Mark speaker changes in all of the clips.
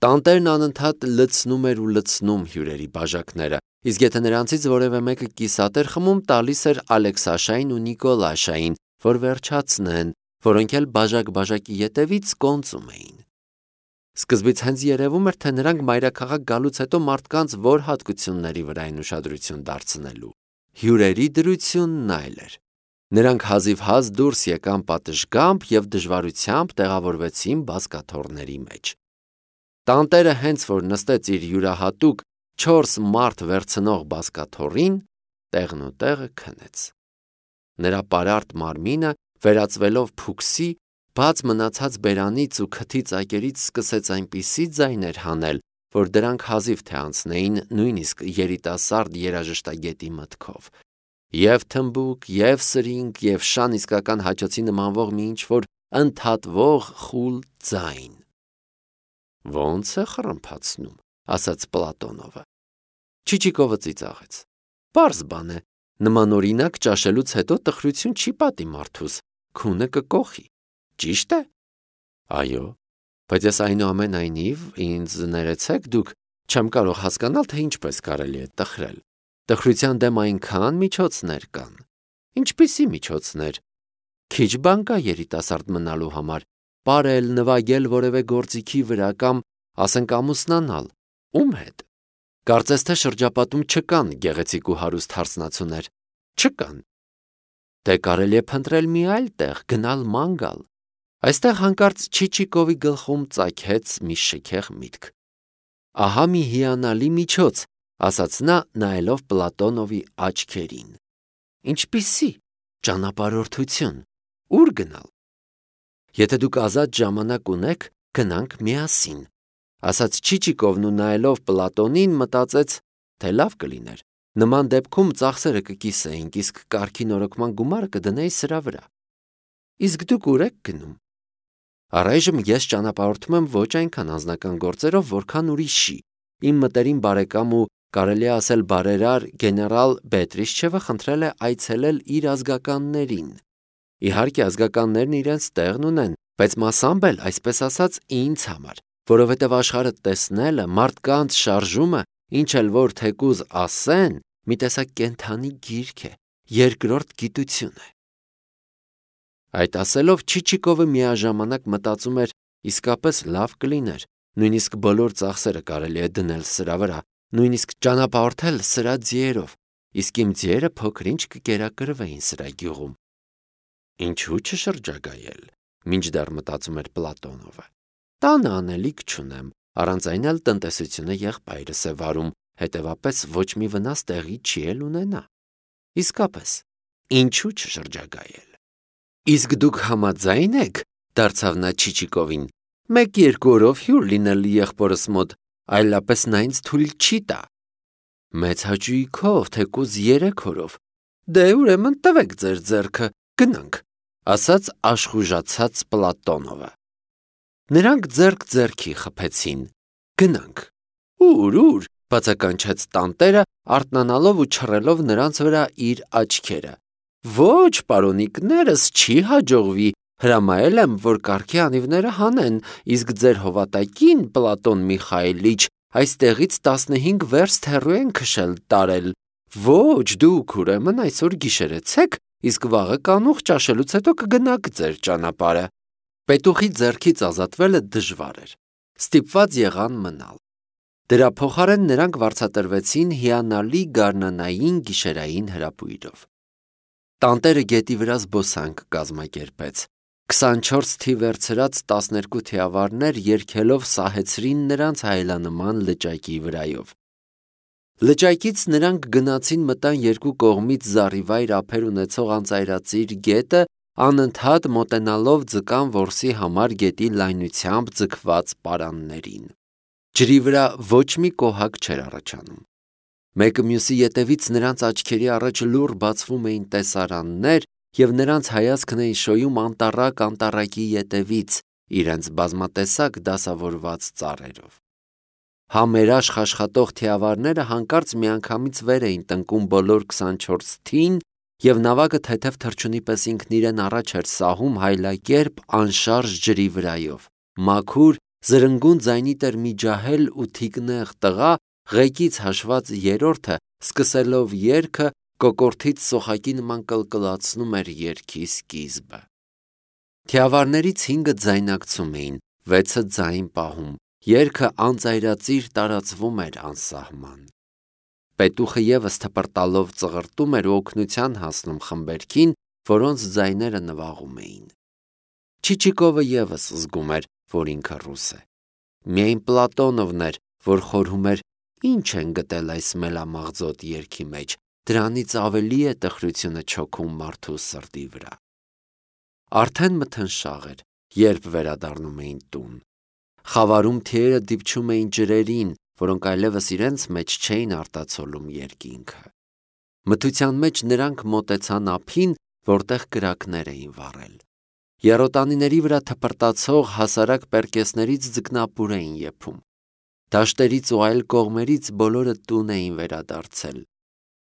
Speaker 1: Տանտերն անընդհատ լցնում էր ու լցնում հյուրերի բաժակները, իսկ եթե նրանցից որևէ մեկը կիսատ էր խմում, տալիս էր Ալեքսաշային ու Նիկոլաշային, որ վերջացնեն, որոնք էլ բաժակ-բաժակի ետևից կոնծում էին։ Սկզբից հենց երևում էր, թե նրանք մայրաքաղաք գալուց հետո մարդկանց որ հատկությունների վրա են ուշադրություն դարձնելու։ Հյուրերի դրությունն այլ էր։ Նրանք հազիվ-հազ դուրս եկան պատշգամբ և դժվարությամբ տեղավորվեցին բազկաթոռների մեջ։ Տանտերը հենց որ նստեց իր յուրահատուկ 4 մարդ վերցնող բազկաթոռին, տեղն ու տեղը քնեց։ Նրա պարարտ մարմինը, վերածվելով փուքսի, բաց մնացած բերանից ու քթի ծակերից սկսեց այնպիսի ձայներ հանել, որ դրանք հազիվ թե անցնեին նույնիսկ երիտասարդ երաժշտագետի մտքով։ Եվ թմբուկ, և սրինգ, և շան իսկական հաչոցի նմանվող մի ինչ-որ ընդհատվող խուլ ձայն։ «Ոնց է խռմփացնում», ասաց Պլատոնովը։ Չիչիկովը ծիծաղեց։ «Պարզ բան է, նմանօրինակ ճաշելուց հետո տխրություն չի պատի մարդուս, քունը կկոխի, ճի՞շտ է»։ «Այո, բայց ես այնուամենայնիվ, ինձ ներեցեք, դուք չեմ կարող հասկանալ, թե ինչպես կարելի է տխրել։ Տխրության դեմ այնքան միջոցներ կան»։ «Ինչպիսի միջոցներ»։ «Քիչ բան կա երիտասարդ մնալու համար, պարել, նվագել որևէ գործիքի վրա կամ, ասենք, ամուսնանալ։ Ում հետ։ Կարծես թե շրջապատում չկան գեղեցիկ ու հարուստ հարսնացուներ։ Չկան։ Դե կարելի է փնտրել մի այլ տեղ, գնալ ման գալ»։ Այստեղ հանկարծ Չիչիկովի գլխում ծագեց մի շքեղ միտք։ «Ահա մի հիանալի միջոց», ասաց նա, նայելով Պլատոնովի աչքերին։ «Ինչպիսի» ճանապարհորդություն։ Ո՞ւր գնալ։ «Եթե դուք ազատ ժամանակ ունեք, գնանք միասին», ասաց Չիչիկովն ու նայելով Պլատոնին մտածեց, թե լավ կլիներ։ Նման դեպքում ծախսերը կկիսեինք, իսկ կարգի նորոգման գումարը կդնեի սրա վրա։ «Իսկ դուք ուր եք գնում»։ «Առայժմ ես ճանապարհորդում եմ ոչ այնքան անձնական գործերով, որքան ուրիշի։ Իմ մտերիմ բարեկամ ու կարելի է ասել բարերար գեներալ Բետրիշչևը խնդրել է այցելել իր ազգականներին։ Իհարկե ազգականներն իրենց տեղն ունեն, բայց մասամբ էլ, այսպես ասած, ինձ համար, որովհետև աշխարհը տեսնելը, մարդկանց շարժումը, ինչ էլ որ թեկուզ ասեն, մի տեսակ կենդանի գիրք է, երկրորդ գիտություն է»։ Այդ ասելով Չիչիկովը միաժամանակ մտածում էր, իսկապես լավ կլիներ, նույնիսկ բոլոր ծախսերը կարելի է դնել սրա վրա, նույնիսկ ճանապարհորդել սրա ձիերով, իսկ իմ ձիերը փոքր-ինչ կկերակրվեին սրա գյուղում։ Ինչու չշրջագայել, մինչդեռ մտածում էր Պլատոնովը։ Տանը անելիք չունեմ, առանց այն էլ տնտեսությունը եղբայրս է վարում, հետևապես ոչ մի վնաս տեղի չի էլ ունենա։ Իսկապես, ինչու չշրջագայել։ «Իսկ դուք համաձայն եք», դարձավ նա Չիչիկովին, «1-2 օրով հյուր լինել եղբորս մոտ, այլապես նա ինձ թույլ չի տա»։ «Մեծ հաճույքով, թեկուզ 3 օրով»։ «Դե ուրեմն տվեք ձեր ձեռքը, գնանք», ասաց աշխուժացած Պլատոնովը։ Նրանք ձեռք ձեռքի խփեցին։ «Գնանք»։ Ուր, բացականչեց տանտերը, արթնանալով ու չռելով նրանց վրա իր աչքերը։ «Ոչ, պարոնիկներս, չի հաջողվի, հրամայել եմ, որ կառքի անիվները հանեն, իսկ ձեր հովատակին, Պլատոն Միխայիլիչ, այստեղից 15 վերստ հեռու են քշել տարել։ Ոչ, դուք ուրեմն այսօր գիշերեցեք, իսկ վաղը կանուխ ճաշելուց հետո կգնաք ձեր ճանապարհը»։ Պետուխի ձեռքից ազատվելը դժվար էր։ Ստիպված եղան մնալ։ Դրա փոխարեն նրանք վարձատրվեցին հիանալի գարնանային գիշերային հրապույրով։ Տանտերը գետի վրա զբոսանք կազմակերպեց։ 24 թիվ վերցրած 12 թիավարներ երգելով սահեցրին նրանց հայելանման լճակի վրայով։ Լճակից նրանք գնացին մտան երկու կողմից զառիվայր ափեր ունեցող անծայրածիր գետը, անընդհատ մոտենալով ձկան որսի համար գետի լայնությամբ ձգված պարաններին։ Ջրի վրա ոչ մի կոհակ չէր առաջանում։ Մեկը մյուսի ետևից նրանց աչքերի առաջ լուռ բացվում էին տեսարաններ, և նրանց հայացքն էին շոյում անտառակ անտառակի ետևից, իրենց բազմատեսակ դասավորված ծառերով։ Համերաշխ աշխատող թիավարները հանկարծ միանգամից վեր էին տնկում բոլոր 24 թին, և նավակը թեթև թռչունի պես ինքն իրեն առաջ էր սահում հայլակերպ անշարժ ջրի վրայով, մաքուր, զրնգուն ձայնի տեր մի ջահել ու թիկնեղ տղա, ղեկից հաշված երրորդը, սկսելով երգը, կոկորդից սոխակի նման կլկլացնում էր երգի սկիզբը։ Թիավարներից 5-ը ձայնակցում էին, 6-ը ձայն պահում, երգը անծայրածիր տարածվում էր անսահման։ Պետուխը ևս թպրտալով ծղրտում էր ու օգնության հասնում խմբերքին, որոնց ձայները նվաղում էին։ Չիչիկովը ևս զգում էր, որ ինքը ռուս է։ Միայն Պլատոնովն էր, որ խորհում էր, ինչ են գտել այս մելամաղձոտ երգի մեջ, դրանից ավելի է տխրությունը չոքում մարդու սրտի վրա։ Արդեն մթնշաղ էր, երբ վերադառնում էին տուն։ Խավարում թիերը դիպչում էին ջրերին, որոնք այլևս իրենց մեջ չէին արտացոլում երկինքը։ Մթության մեջ նրանք մոտեցան ափին, որտեղ կրակներ էին վառել։ Եռոտանիների վրա թպրտացող հասարակ պերկեսներից ձկնապուր էին եփում։ Դաշտերից ու այլ կողմերից բոլորը տուն էին վերադարձել։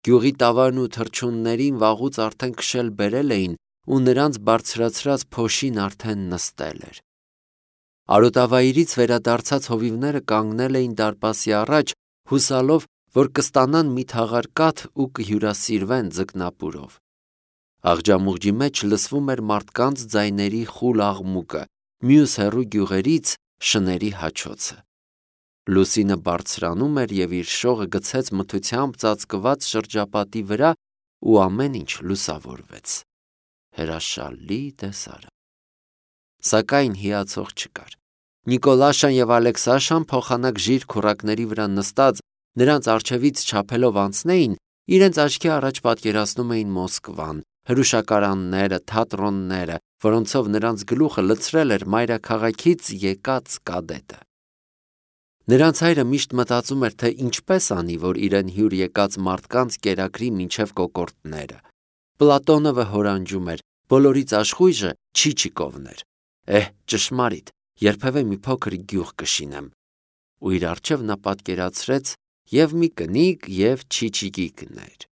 Speaker 1: Գյուղի տավարն ու թռչուններին վաղուց արդեն քշել բերել էին ու նրանց բարձրացրած փոշին արդեն նստել էր։ Արոտավայրից վերադարձած հովիվները կանգնել էին դարպասի առաջ, հուսալով, որ կստանան մի թաղար կաթ ու կհյուրասիրվեն ձկնապուրով։ Աղջամուղջի մեջ լսվում էր մարդկանց ձայների խուլ աղմուկը, մյուս հեռու գյուղերից շների հաչոցը։ Լուսինը բարձրանում էր և իր շողը գցեց մթությամբ ծածկված շրջապատի վրա ու ամեն ինչ լուսավորվեց։ Հրաշալի տեսարան։ Սակայն հիացող չկար։ Նիկոլաշան և Ալեքսաշան փոխանակ ժիր քուռակների վրա նստած նրանց առջևից չափելով անցնեին, իրենց աչքի առաջ պատկերացնում էին Մոսկվան, հրուշակարանները, թատրոնները, որոնցով նրանց գլուխը լցրել էր մայրաքաղաքից եկած կադետը։ Նրանց հայրը միշտ մտածում էր, թե ինչպես անի, որ իրեն հյուր եկած մարդկանց կերակրի մինչև կոկորդները։ Պլատոնովը հորանջում էր, բոլորից աշխույժը Չիչիկովն էր։ Ճշմարիտ, երբևէ մի փոքր գյուղ կշինեմ։ Ու իր առջև նա պատկերացրեց և մի կնիկ, և Չիչիկիկներ։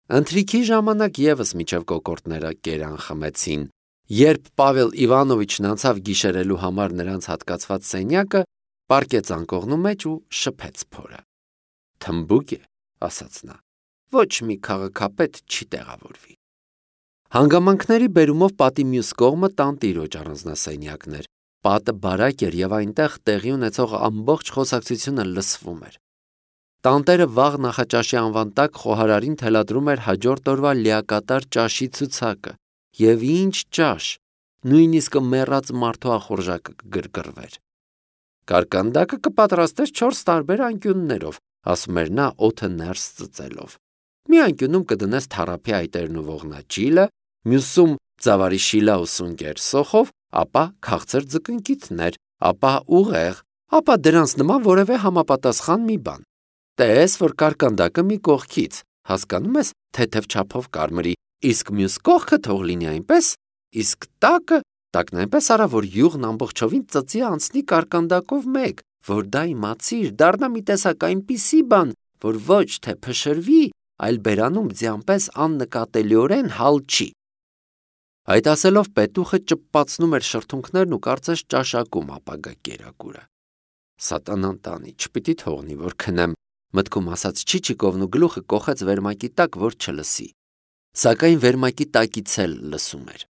Speaker 1: Ընթրիքի ժամանակ ևս մինչև կոկորդները կերան խմեցին։ Երբ Պավել Իվանովիչն անցավ գիշերելու համար նրանց հատկացված սենյակը, պառկեց անկողնու մեջ ու շփեց փորը։ Թմբուկ է, ասաց նա, ոչ մի քաղաքապետ չի տեղավորվի։ Հանգամանքների բերումով պատի մյուս կողմը տանտիրոջ առանձնասենյակն էր։ Պատը բարակ էր և այնտեղ տեղի ունեցող ամբողջ խոսակցությունը լսվում էր։ Տանտերը վաղ նախաճաշի անվան տակ խոհարարին թելադրում էր հաջորդ օրվա լիակատար ճաշի ցուցակը։ Եվ ինչ ճաշ, նույնիսկ մեռած մարդու ախորժակը կգրգռվեր։ Կարկանդակը կպատրաստես 4 տարբեր անկյուններով, ասում էր նա օդը ներս ծծելով։ Մի անկյունում կդնես թառափի այտերն ու ողնաճիլը, մյուսում ծավարի շիլա ու սունկեր սոխով, ապա քաղցր ձկնկիթներ, ապա ուղեղ, ապա դրանց նման որևէ համապատասխան մի բան։ Տես, որ կարկանդակը մի կողքից, հասկանում ես, թեթև չափով կարմրի, իսկ մյուս կողքը թող լինի այնպես, իսկ տակն այնպես արա, որ յուղն ամբողջովին ծծի անցնի կարկանդակով մեկ, որ դա իմացիր, դառնա մի տեսակ այնպիսի բան, որ ոչ թե փշրվի, այլ բերանում ձյանպես աննկատելիորեն հալչի։ Այդ ասելով պետուխը ճպպացնում էր շրթունքներն ու կարծես ճաշակում ապագա կերակուրը։ Սատանան տանի, չպիտի թողնի, որ քնեմ, մտքում ասաց Չիչիկովն ու գլուխը կոխեց վերմակի տակ, որ չլսի։ Սակայն վերմակի տակից էլ լսում էր։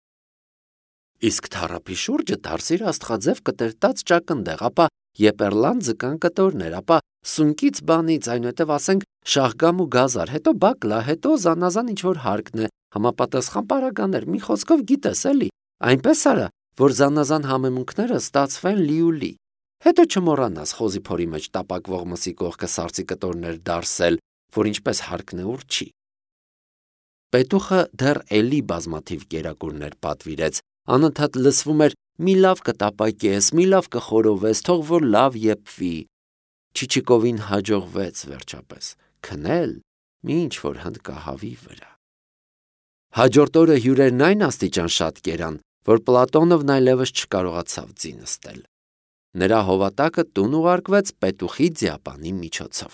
Speaker 1: Իսկ թառափի շուրջը դարսիր աստղաձև կտրտած ճակնդեղ, ապա եպեռլան ձկան կտորներ, ապա սունկից բանից, այնուհետև ասենք շաղգամ ու գազար, հետո բակլա, հետո զանազան ինչ-որ հարկն է, համապատասխան պարագաներ, մի խոսքով գիտես էլի, այնպես արա, որ զանազան համեմունքները ստացվեն լի։ Հետո չմոռանաս խոզի փորի մեջ տապակվող մսի կողքը սարսի կտորներ դարսել, որ ինչպես հարկն է ուռչի։ Պետուխը դեռ էլի բազմաթիվ կերակուրներ պատվիրեց, անընդհատ լսվում էր մի լավ կտապակես, մի լավ կխորովես, թող որ լավ եփվի։ Չիչիկովին հաջողվեց վերջապես քնել մի ինչ-որ հնդկահավի վրա։ Հաջորդ օրը հյուրերն այն աստիճան շատ կերան, որ Պլատոնովն այլևս չկարողացավ ձի նստել։ Նրա հովատակը տուն ուղարկվեց պետուխի ձիապանի միջոցով։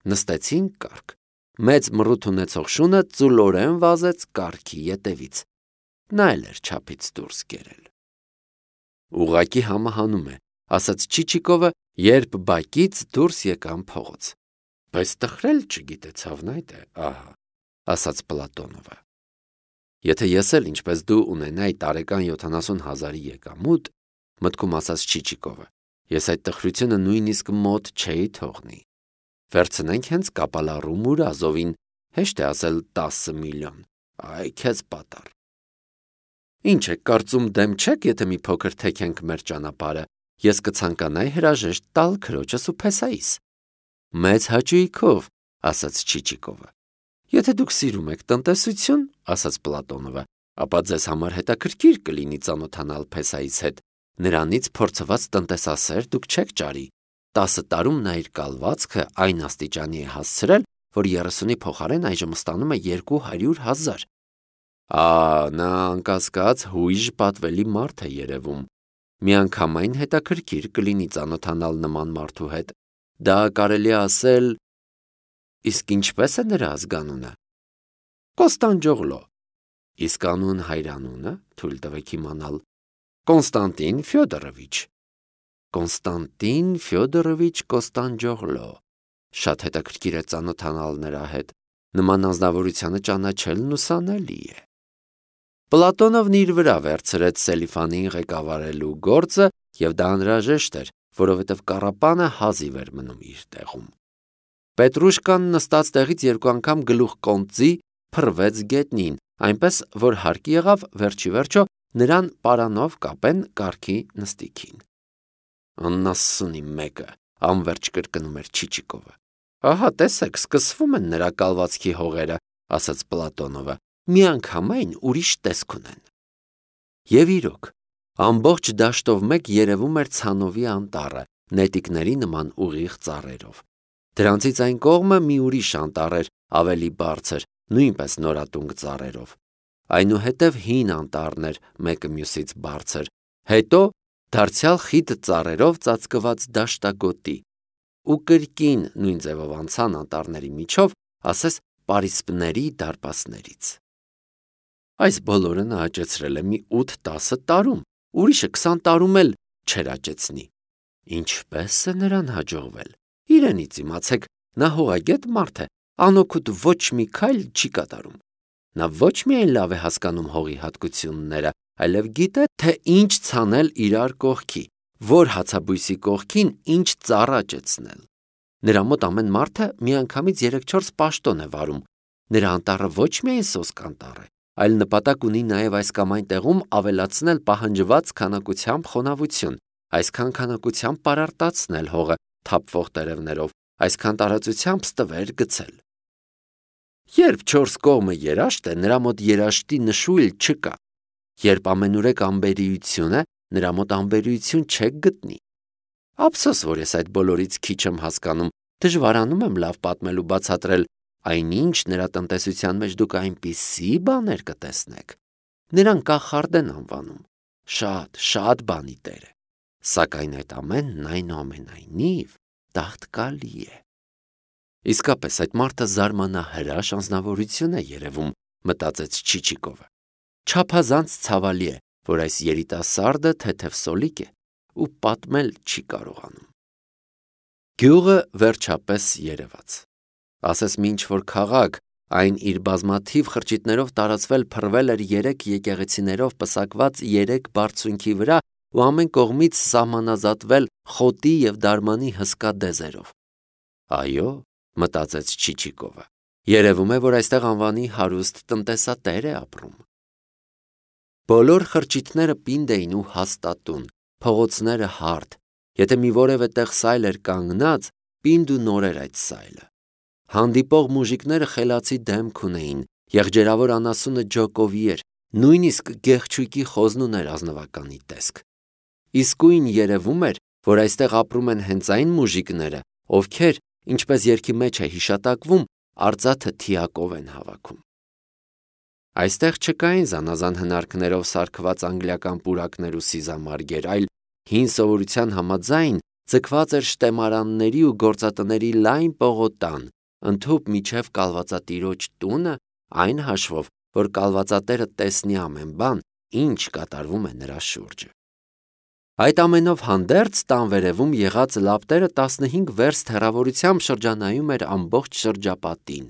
Speaker 1: Նստեցին կառք։ Մեծ մռութ ունեցող շունը ծուլորեն վազեց կառքի ետևից։ Նա էլ էր չափից դուրս կերել։ Ուղղակի համահանում է, ասաց Չիչիկովը, երբ բակից դուրս եկան փողոց։ Բայց տխրել չգիտեցավ նա այդ է, ահա, ասաց Պլատոնովը։ Եթե ես էլ ինչպես դու ունենայի տարեկան 70,000-ի եկամուտ, մտքում ասաց Չիչիկովը, ես այդ տխրությունը նույնիսկ մոտ չէի թողնի։ Վերցնենք հենց կապալառու Մուրազովին, հեշտ է ասել 10 միլիոն, այ քեզ պատառ։ Ինչ եք կարծում, դեմ չեք, եթե մի փոքր թեքենք մեր ճանապարհը, ես կցանկանայի հրաժեշտ տալ քրոջս ու Փեսայիս։ Մեծ հաճույքով, ասաց Չիչիկովը։ Եթե դուք սիրում եք տնտեսություն, ասաց Պլատոնովը, ապա ձեզ համար հետաքրքիր կլինի ծանոթանալ Փեսայիս հետ։ Նրանից փորձված տնտեսասեր դուք չեք ճարի։ 10 տարում նա իր կալվածքը այն աստիճանի է հասցրել, որ 30-ի փոխարեն այժմ ստանում է 200,000։ Նա անկասկած հույժ պատվելի մարդ է երևում։ Միանգամայն հետաքրքիր կլինի ծանոթանալ նման մարդու հետ։ Դա կարելի է ասել… Իսկ ինչպես է նրա ազգանունը։ Կոստանդջոգլո։ Իսկ անուն հայրանունը, թույլ տվեք իմանալ։ Կոնստանտին Ֆյոդորովիչ։ Կոնստանտին Ֆյոդորովիչ Կոստանդջոգլո։ Շատ հետաքրքիր է ծանոթանալ նրա հետ։ Նման անձնավորությանը ճանաչելն ուսանելի է։ Պլատոնովն իր վրա վերցրեց Սելիֆանին ղեկավարելու գործը, եւ դա անհրաժեշտ էր, որովհետեւ կառապանը հազիվ էր մնում իր տեղում։ Պետրուշկան նստած տեղից 2 անգամ գլուխ կոնծի փռվեց գետնին, այնպես որ հարկ եղավ վերջի վերջո նրան պարանով կապեն կառքի նստիքին։ Աննասունի մեկը, անվերջ կրկնում էր Չիչիկովը։ Ահա տեսեք, սկսվում են նրա կալվածքի հողերը, ասաց Պլատոնովը, միանգամայն ուրիշ տեսք ունեն։ Եվ իրոք, ամբողջ դաշտով մեկ երևում էր Ցանովի անտառը, նետիկների նման ուղիղ ծառերով։ Դրանցից այն կողմը մի ուրիշ անտառ էր, ավելի բարձր, նույնպես նորատունկ ծառերով։ Այնուհետև հին անտառն էր, մեկը մյուսից բարձր, հետո դարձյալ խիտ ծառերով ծածկված դաշտագոտի, ու կրկին նույն ձևով անցան անտառների միջով, ասես պարիսպների դարպասներից։ Այս բոլորը նա աճեցրել է մի 8-10 տարում, ուրիշը 20 տարում էլ չէր աճեցնի։ Ինչպես է նրան հաջողվել։ Իրենից իմացեք, նա հողագետ մարդ է, անօգուտ ոչ մի քայլ չի կատարում։ Նա ոչ միայն լավ է հասկանում հողի հատկությունները, այլև գիտե, թե ինչ ցանել իրար կողքի, որ հացաբույսի կողքին ինչ ծառ աճեցնել։ Նրա մոտ ամեն մարդը միանգամից 3-4 պաշտոն է վարում։ Նրա անտառը ոչ միայն սոսկ անտառ է, այլ նպատակ ունի նաև այս կամ այն տեղում ավելացնել պահանջված քանակությամբ խոնավություն, այսքան քանակությամբ պարարտացնել հողը թափվող տերևներով, այսքան տարածությամբ ստվեր գցել։ Երբ 4 կողմը երաշտ է, նրա մոտ երաշտի նշույլ չկա։ Երբ ամենուրեք անբերիություն է, նրա մոտ անբերիություն չեք գտնի։ Ափսոս, որ ես այդ բոլորից քիչ եմ հասկանում, դժվարանում եմ լավ պատմել ու բացատրել, այնինչ նրա տնտեսության մեջ դուք այնպիսի բաներ կտեսնեք։ Նրան կախարդ են անվանում։ Շատ բանի տեր է։ Սակայն այդ ամենն այնուամենայնիվ տաղտկալի է։ Իսկապես այդ մարդը զարմանահրաշ անձնավորություն է երևում, մտածեց Չիչիկովը։ Չափազանց ցավալի է, որ այս երիտասարդը թեթև սոլիկ է ու պատմել չի կարողանում։ Գյուղը վերջապես երևաց։ Ասես մի ինչ-որ քաղաք, այն իր բազմաթիվ խրճիթներով տարածվել փռվել էր 3 եկեղեցիներով պսակված 3 բարձունքի վրա ու ամեն կողմից սահմանազատվել խոտի և դարմանի հսկա դեզերով։ Այո, մտածեց Չիչիկովը, երևում է, որ այստեղ անվանի հարուստ տնտեսատեր է ապրում։ Բոլոր խրճիթները պինդ էին ու հաստատուն, փողոցները հարթ, եթե մի որևէ տեղ սայլ էր կանգնած, պինդ ու նոր էր այդ սայլը։ Հանդիպող մուժիկները խելացի դեմք ունեին, եղջերավոր անասունը ջոկովի էր, նույնիսկ գեղչույկի խոզն ուներ ազնվականի տեսք։ Իսկույն երևում էր, որ այստեղ ապրում են հենց այն մուժիկները, ովքեր, ինչպես երգի մեջ է հիշատակվում, արծաթը թիակով են հավաքում։ Այստեղ չկային զանազան հնարքներով սարքված անգլիական պուրակներ ու սիզամարգեր, այլ հին սովորության համաձայն ձգված էր շտեմարանների ու գործատների լայն պողոտան, ընդհուպ միջև կալվածատիրոջ տունը, այն հաշվով, որ կալվածատերը տեսնի ամեն բան, ինչ կատարվում է նրա շուրջը։ Այդ ամենով հանդերձ տան վերևում եղած լապտերը 15 վերստ հեռավորությամբ շրջանայում էր ամբողջ շրջապատին։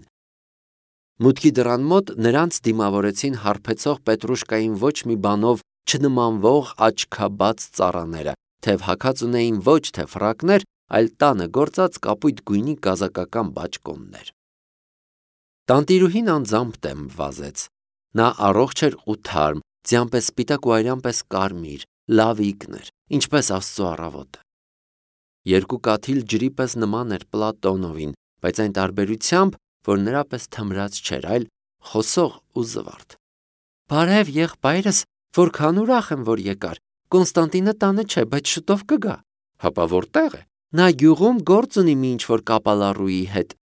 Speaker 1: Մուտքի դռան մոտ նրանց դիմավորեցին հարբեցող Պետրուշկային ոչ մի բանով չնմանվող աչքաբաց ծառաները, թեև հագած ունեին ոչ թե ֆրակներ, այլ տանը գործած կապույտ գույնի կազակական բաճկոններ։ Տանտիրուհին անձամբ դեմ վազեց։ Նա առողջ էր ու թարմ, ձյան պես սպիտակ ու այրան պես կարմիր, լավ ինքն էր, ինչպես Աստծո առավոտը։ Երկու կաթիլ ջրի պես նման էր Պլատոնովին, բայց այն տարբերությամբ, որ նրա պես թմրած չէր, այլ խոսող ու զվարթ։ Բարև եղբայրս, որքան ուրախ եմ, որ եկար։ Կոնստանտինը տանը չէ, բայց շուտով կգա։ Հապա որտեղ է։ Նա գյուղում գործ ունի մի ինչ-որ կապալառուի հետ,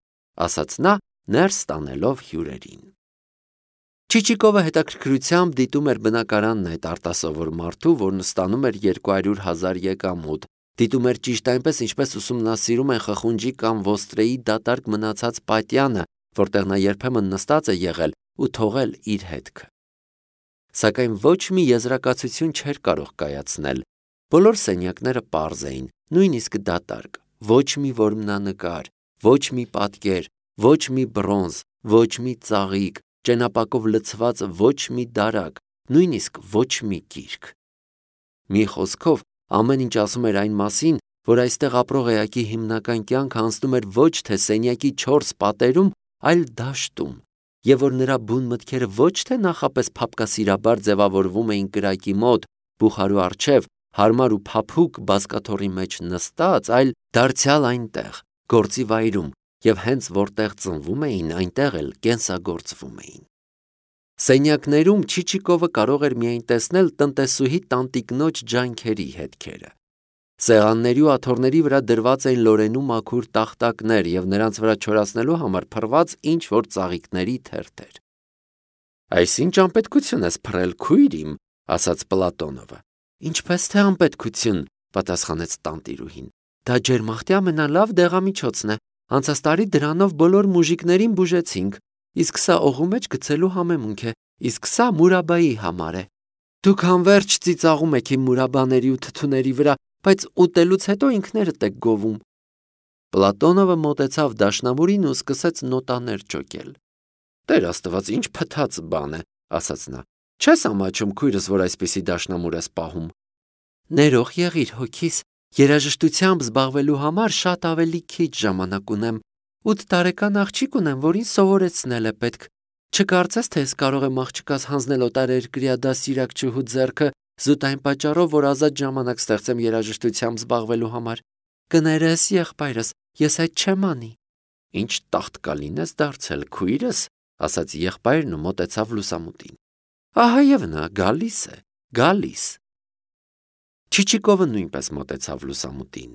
Speaker 1: ասաց նա, ներս տանելով հյուրերին։ Չիչիկովը հետաքրքրությամբ դիտում էր բնակարանն այդ արտասովոր մարդու, որն ստանում էր 200,000 եկամուտ, դիտում էր ճիշտ այնպես, ինչպես ուսումնասիրում են խխունջի կամ ոստրեի դատարկ մնացած պատյանը, որտեղ նա երբեմն նստած է եղել ու թողել իր հետքը։ Սակայն ոչ մի եզրակացություն չէր կարող կայացնել։ Բոլոր սենյակները պարզ էին, նույնիսկ դատարկ, ոչ մի որմնանկար, ոչ մի պատկեր, ոչ մի բրոնզ, ոչ մի ծաղիկ, ճենապակով լցված ոչ մի դարակ, նույնիսկ ոչ մի գիրք։ Մի խոսքով, ամեն ինչ ասում էր այն մասին, որ այստեղ ապրող էակի հիմնական կյանքը անցնում էր ոչ թե սենյակի 4 պատերում, այլ դաշտում, եւ որ նրա բուն մտքերը ոչ թե նախապես փափկասիրաբար ձևավորվում էին կրակի մոտ, բուխարու առջև, հարմար ու փափուկ բազկաթոռի մեջ նստած, այլ դարձյալ այնտեղ, գործի վայրում, եւ հենց որտեղ ծնվում էին, այնտեղ էլ կենսագործվում էին։ Սենյակներում Չիչիկովը կարող էր միայն տեսնել տնտեսուհի տանտիկնոջ ջանքերի հետքերը։ Սեղանների ու աթոռների վրա դրված էին լորենու մաքուր տախտակներ եւ նրանց վրա չորացնելու համար փռված ինչ-որ ծաղիկների թերթեր։ «Այս ինչ անպետքություն ես փռել, քույր իմ», ասաց Պլատոնովը։ «Ինչպես թե անպետքություն», պատասխանեց տանտիրուհին։ «Դա ջերմախտի ամենալավ դեղամիջոցն է։ Անցած տարի դրանով բոլոր մուժիկներին բուժեցինք, իսկ սա օղու մեջ գցելու համեմունք է, իսկ սա Մուրաբայի համար է։ Դուք անverջ ծիծաղում եք իմ մուրաբաների ու թթուների վրա, բայց ուտելուց հետո ինքներդ եք գովում»։ Պլատոնովը մոտեցավ դաշնամուրին ու սկսեց նոտաներ ճոկել։ «Տեր Աստված, ինչ փթած բան է», ասաց նա։ «Չես ամաչում քույրս, որ այսպիսի դաշնամուր ես պահում»։ «Ներող եղիր, հոգիս, երաժշտությամբ զբաղվելու համար շատ ավելի քիչ ժամանակ ունեմ։ 8 տարեկան աղջիկ ունեմ, որին սովորեցնել է պետք։ Չկարծես, թե ես կարող եմ աղջկաս հանձնել օտարերկրյա դասիրակչուհու ձեռքը զուտ այն պատճառով, որ ազատ ժամանակ ստեղծեմ երաժշտությամբ զբաղվելու համար։ Կներես, եղբայրս, ես այդ չեմ անի»։ «Ինչ տաղտկալին ես դարձել, քույրս», ասաց եղբայրն ու մոտեցավ լուսամուտին։ «Ահա եւ նա գալիս է, գալիս»։ Չիչիկովը նույնպես մոտեցավ լուսամուտին։